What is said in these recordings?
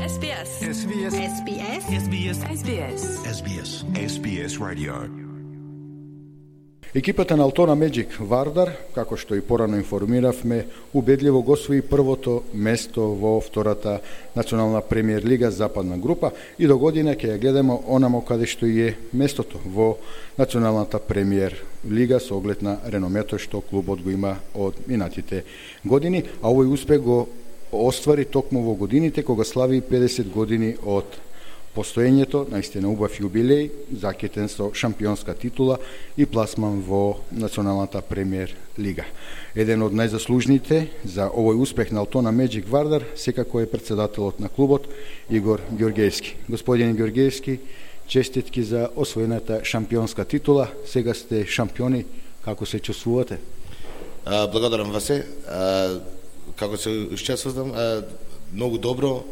SBS. SBS. SBS. SBS. SBS. SBS. SBS Radio. Екипата на Altona Magic Вардар, како што и порано информиравме, убедливо го освои првото место во втората национална премиер лига западна група и до година ќе ја гледаме онамо каде што е местото во националната премиер лига со оглед на реномето што клубот го има од минатите години, а овој успех го оствари токму во годините кога слави 50 години од постоењето, наистина убав јубилеј, закитен со шампионска титула и пласман во националната премиер лига. Еден од најзаслужните за овој успех на Altona Magic Вардар секако е председателот на клубот Игор Ѓорѓеевски. Господин Ѓорѓеевски, честитки за освоената шампионска титула. Сега сте шампиони, како се чувствувате? Благодарам Васе. Како се чувствувам? Многу добро,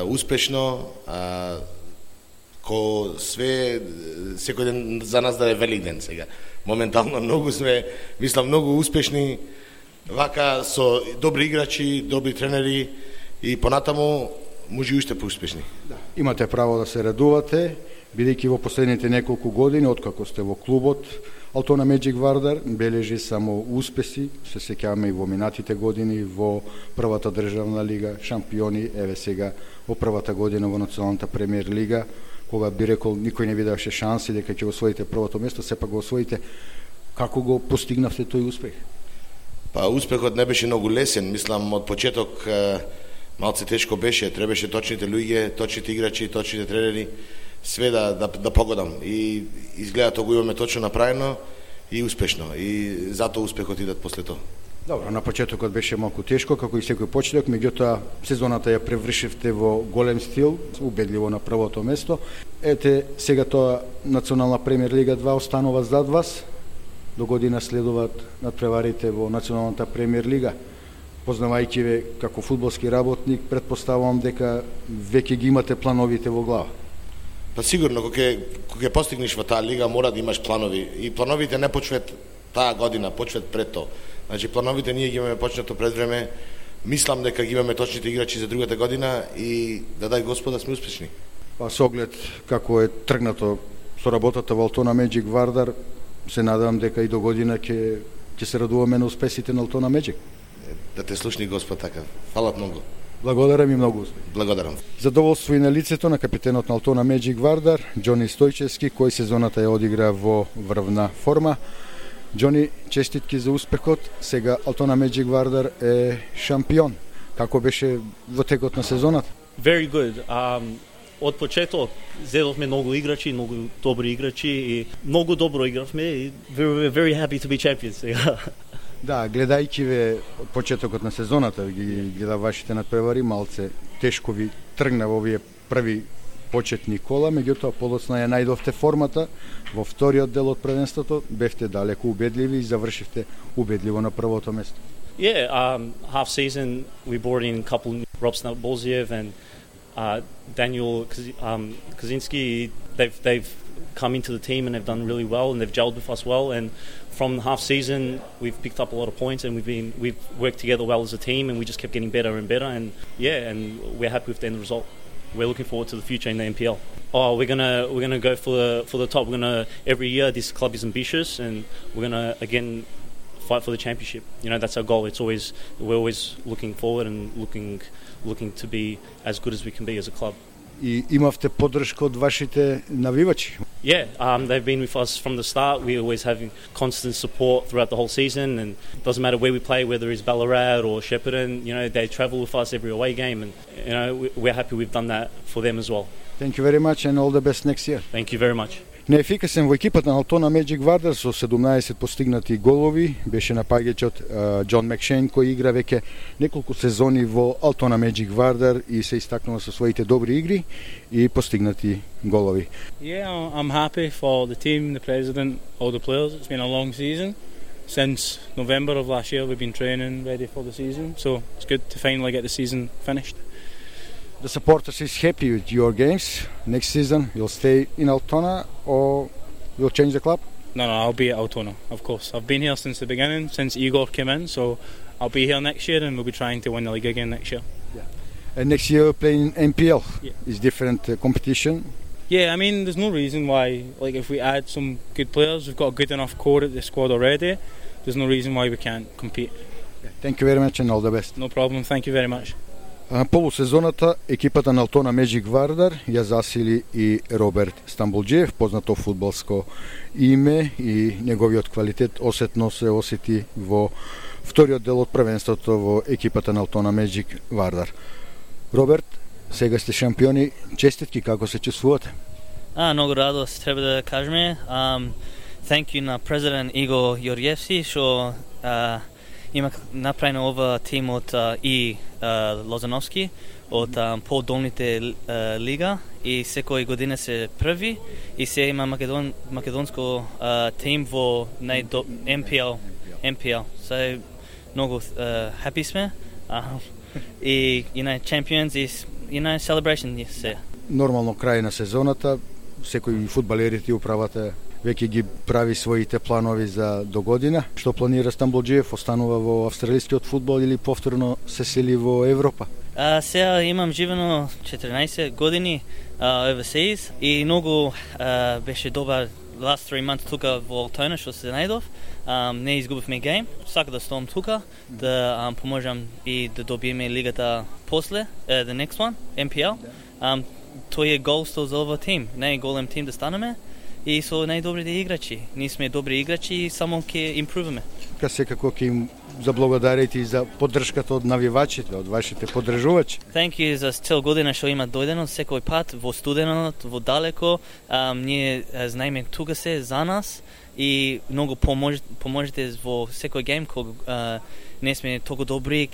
успешно, ко све, секој ден за нас да е велик ден сега. Моментално многу сме, мислам, многу успешни, вака со добри играчи, добри тренери и понатаму може и уште поуспешни. Да. Имате право да се радувате, бидејќи во последните неколку години, откако сте во клубот, Altona Magic Вардар бележи само успеси, се сеќаваме и во минатите години во првата државна лига, шампиони, еве сега во првата година во националната премиер лига, кога би рекол никој не видеше шанси дека ќе освоите првото место, сепак го освоите. Како го постигнавте тој успех? Па успехот не беше многу лесен, мислам од почеток малце тешко беше, требаше точните луѓе, точните играчи, точните тренери, све да погодам и изгледа тоа го имаме точно направено и успешно и затоа успехот идат после тоа. Добро, на почетокот беше малку тешко, како и секој почеток, меѓутоа сезоната ја превршивте во голем стил, убедливо на првото место. Ете, сега тоа Национална премиер лига 2 останува зад вас, до година следуваат надпреварите во Националната премиер лига. Познавајќи ве како фудбалски работник, предпоставувам дека веќе ги имате плановите во глава. Па сигурно, кога постигнеш во таа лига, мора да имаш планови. И плановите не почваат таа година, почваат пред тоа. Значи, плановите ние ги имаме почнато пред време. Мислам дека ги имаме точните играчи за другата година и да дај Господа сме успешни. Па со оглед како е тргнато со работата во Altona Magic Вардар, се надевам дека и до година ќе се радуваме на успесите на Altona Magic. Да те слушни Господ така. Фала многу. Благодарам и многу успех. Благодарам. Задоволство и на лицето на капитенот на Altona Magic Вардар, Џони Стојчевски, кој сезоната ја одигра во врвна форма. Џони, честитки за успехот. Сега Altona Magic Вардар е шампион. Како беше во текот на сезоната? Very good. Од почеток зедовме многу играчи, многу добри играчи и многу добро игравме и we're very happy to be champions. Да, гледајќи ве од почетокот на сезоната, ги гледа вашите надпревари, малце тешко ви тргна во овие први почетни кола, меѓутоа подоцна ја најдовте формата во вториот дел од првенството, бевте далеку убедливи и завршивте убедливо на првото место. Yeah, half season we brought in a couple, Rob Bolziev and Daniel Kaczynski. They've come into the team and they've done really well and they've gelled with us well, and from half season we've picked up a lot of points and we've worked together well as a team and we just kept getting better and better, and and we're happy with the end result. We're looking forward to the future in the NPL. We're gonna go for the top. We're gonna, every year this club is ambitious and we're gonna again fight for the championship. You know, that's our goal. We're always looking forward and looking to be as good as we can be as a club. И имавте поддршка од вашите навивачи? Yeah, they've been with us from the start. We always having constant support throughout the whole season, and it doesn't matter where we play, whether it's Ballarat or Shepparton, you know, they travel with us every away game, and you know, we're happy we've done that for them as well. Thank you very much and all the best next year. Thank you very much. Неефикасен во екипата на Altona Magic Вардар со 17 постигнати голови беше напаѓачот Џон Макшейн, кој игра веќе неколку сезони во Altona Magic Вардар и се истакнува со своите добри игри и постигнати голови. Yeah, I'm happy for the team, the president, all the players. It's been a long season. Since November of last year we've been training ready for the season, so it's good to finally get the season finished. The supporters is happy with your games. Next season you'll stay in Altona or you'll change the club? No, I'll be at Altona, of course. I've been here since the beginning, since Igor came in, so I'll be here next year and we'll be trying to win the league again next year. Yeah. And next year playing NPL Yeah. is different competition. Yeah, I mean, there's no reason why, like, if we add some good players, we've got a good enough core at the squad already, there's no reason why we can't compete. Thank you very much and all the best. No problem, thank you very much. Полусезоната екипата на Алтона Меджик Вардар ја засили и Роберт Стамбулџиев, познато фудбалско име, и неговиот квалитет осетно се осети во вториот дел од првенството во екипата на Алтона Меджик Вардар. Роберт, сега сте шампиони, честитки, како се чувствувате? Многу радост, треба да кажеме. Thank you на президент Игор Јорјевски, што има направено ова тим од и Лозановски од подолните лига и секој година се први и се има македонско тим во MPL. So многу happy сме. И champions is celebration се. Нормално крај на сезоната, секој фудбалерите управата веќе ги прави своите планови за до година. Што планира Стамбулџиев? Останува во австралискиот фудбал или повторно се сели во Европа? Сега имам живено 14 години overseas и многу беше добар last 3 months тука во Алтона што се најдов. Не изгубивме гейм. Сакам да стом тука, да поможам и да добиеме лигата после, the next one, MPL. Тој е голсто за ова тим. Најголем тим да станеме и со најдобрите играчи. Ние сме добри играчи и само ќе импруваме. Секако ќе им заблагодарите и за поддршката од навивачите, од вашите поддржувачи. Thank you за цел година што има дојдено секој пат во студенот, во далеко. Ние знаеме тука се за нас и многу поможете во секој гейм кога не сме толку добри,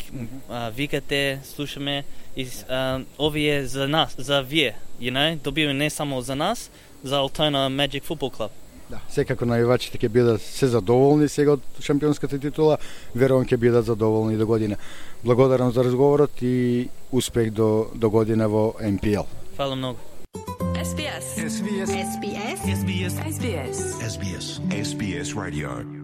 викате, слушаме и овие за нас, за вие, добиваме не само за нас, за Altona Magic Football Club. Да, секако навивачите ќе бидат се задоволни сега од шампионската титула, верувам ќе бидат задоволни до година. Благодарам за разговорот и успех до година во MPL. Фала многу. SBS. SBS. SBS. SBS. SBS. SBS. SBS Radio.